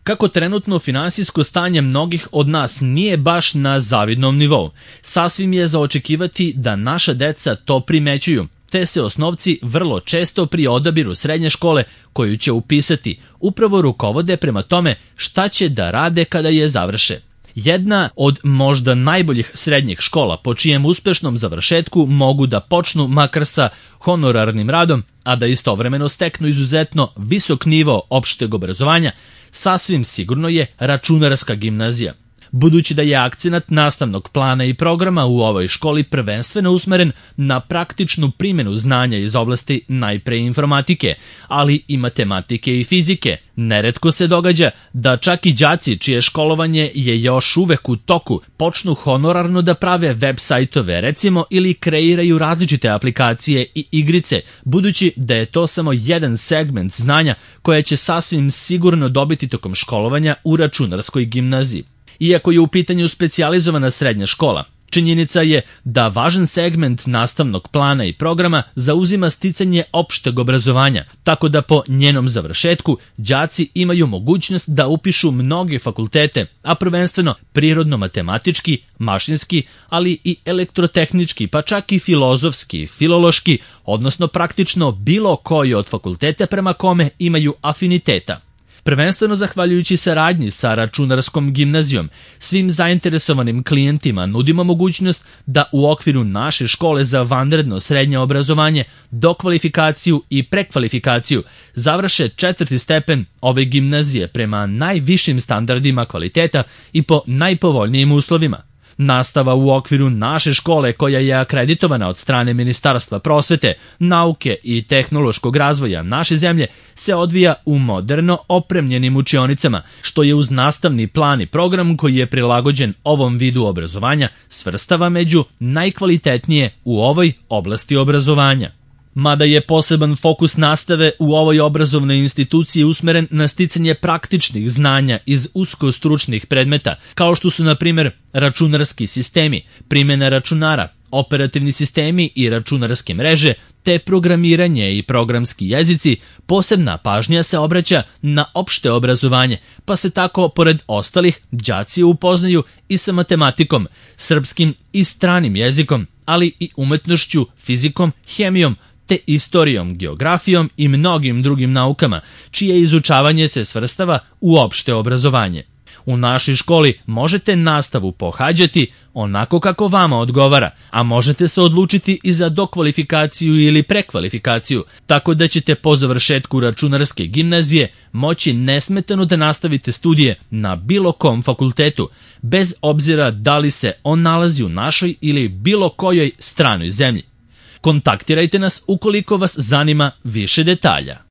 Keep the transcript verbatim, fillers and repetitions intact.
Kako trenutno finansijsko stanje mnogih od nas nije baš na zavidnom nivou, sasvim je za očekivati da naša deca to primećuju, te se osnovci vrlo često pri odabiru srednje škole koju će upisati upravo rukovode prema tome šta će da rade kada je završe. Jedna od možda najboljih srednjih škola po čijem uspešnom završetku mogu da počnu makar sa honorarnim radom, a da istovremeno steknu izuzetno visok nivo opšteg obrazovanja, sasvim sigurno je računarska gimnazija. Budući da je akcenat nastavnog plana i programa u ovoj školi prvenstveno usmeren na praktičnu primjenu znanja iz oblasti najpre informatike, ali i matematike i fizike, neretko se događa da čak i đaci čije školovanje je još uvek u toku počnu honorarno da prave web sajtove recimo ili kreiraju različite aplikacije i igrice, budući da je to samo jedan segment znanja koje će sasvim sigurno dobiti tokom školovanja u računarskoj gimnaziji. Iako je u pitanju specijalizovana srednja škola, činjenica je da važan segment nastavnog plana i programa zauzima sticanje opšteg obrazovanja, tako da po njenom završetku đaci imaju mogućnost da upišu mnoge fakultete, a prvenstveno prirodno-matematički, mašinski, ali i elektrotehnički, pa čak i filozofski, filološki, odnosno praktično bilo koji od fakulteta prema kome imaju afiniteta. Prvenstveno zahvaljujući saradnji sa računarskom gimnazijom, svim zainteresovanim klijentima nudimo mogućnost da u okviru naše škole za vanredno srednje obrazovanje, dokvalifikaciju i prekvalifikaciju završe četvrti stepen ove gimnazije prema najvišim standardima kvaliteta i po najpovoljnijim uslovima. Nastava u okviru naše škole, koja je akreditovana od strane Ministarstva prosvete, nauke i tehnološkog razvoja naše zemlje, se odvija u moderno opremljenim učionicama, što je uz nastavni plan i program koji je prilagođen ovom vidu obrazovanja svrstava među najkvalitetnije u ovoj oblasti obrazovanja. Mada je poseban fokus nastave u ovoj obrazovnoj instituciji usmeren na sticanje praktičnih znanja iz uskostručnih predmeta, kao što su na primjer računarski sistemi, primjena računara, operativni sistemi i računarske mreže, te programiranje i programski jezici, posebna pažnja se obraća na opšte obrazovanje, pa se tako, pored ostalih, đaci upoznaju i sa matematikom, srpskim i stranim jezikom, ali i umetnošću, fizikom, hemijom, te istorijom, geografijom i mnogim drugim naukama, čije izučavanje se svrstava u opšte obrazovanje. U našoj školi možete nastavu pohađati onako kako vama odgovara, a možete se odlučiti i za dokvalifikaciju ili prekvalifikaciju, tako da ćete po završetku računarske gimnazije moći nesmetano da nastavite studije na bilo kom fakultetu, bez obzira da li se on nalazi u našoj ili bilo kojoj stranoj zemlji. Kontaktirajte nas ukoliko vas zanima više detalja.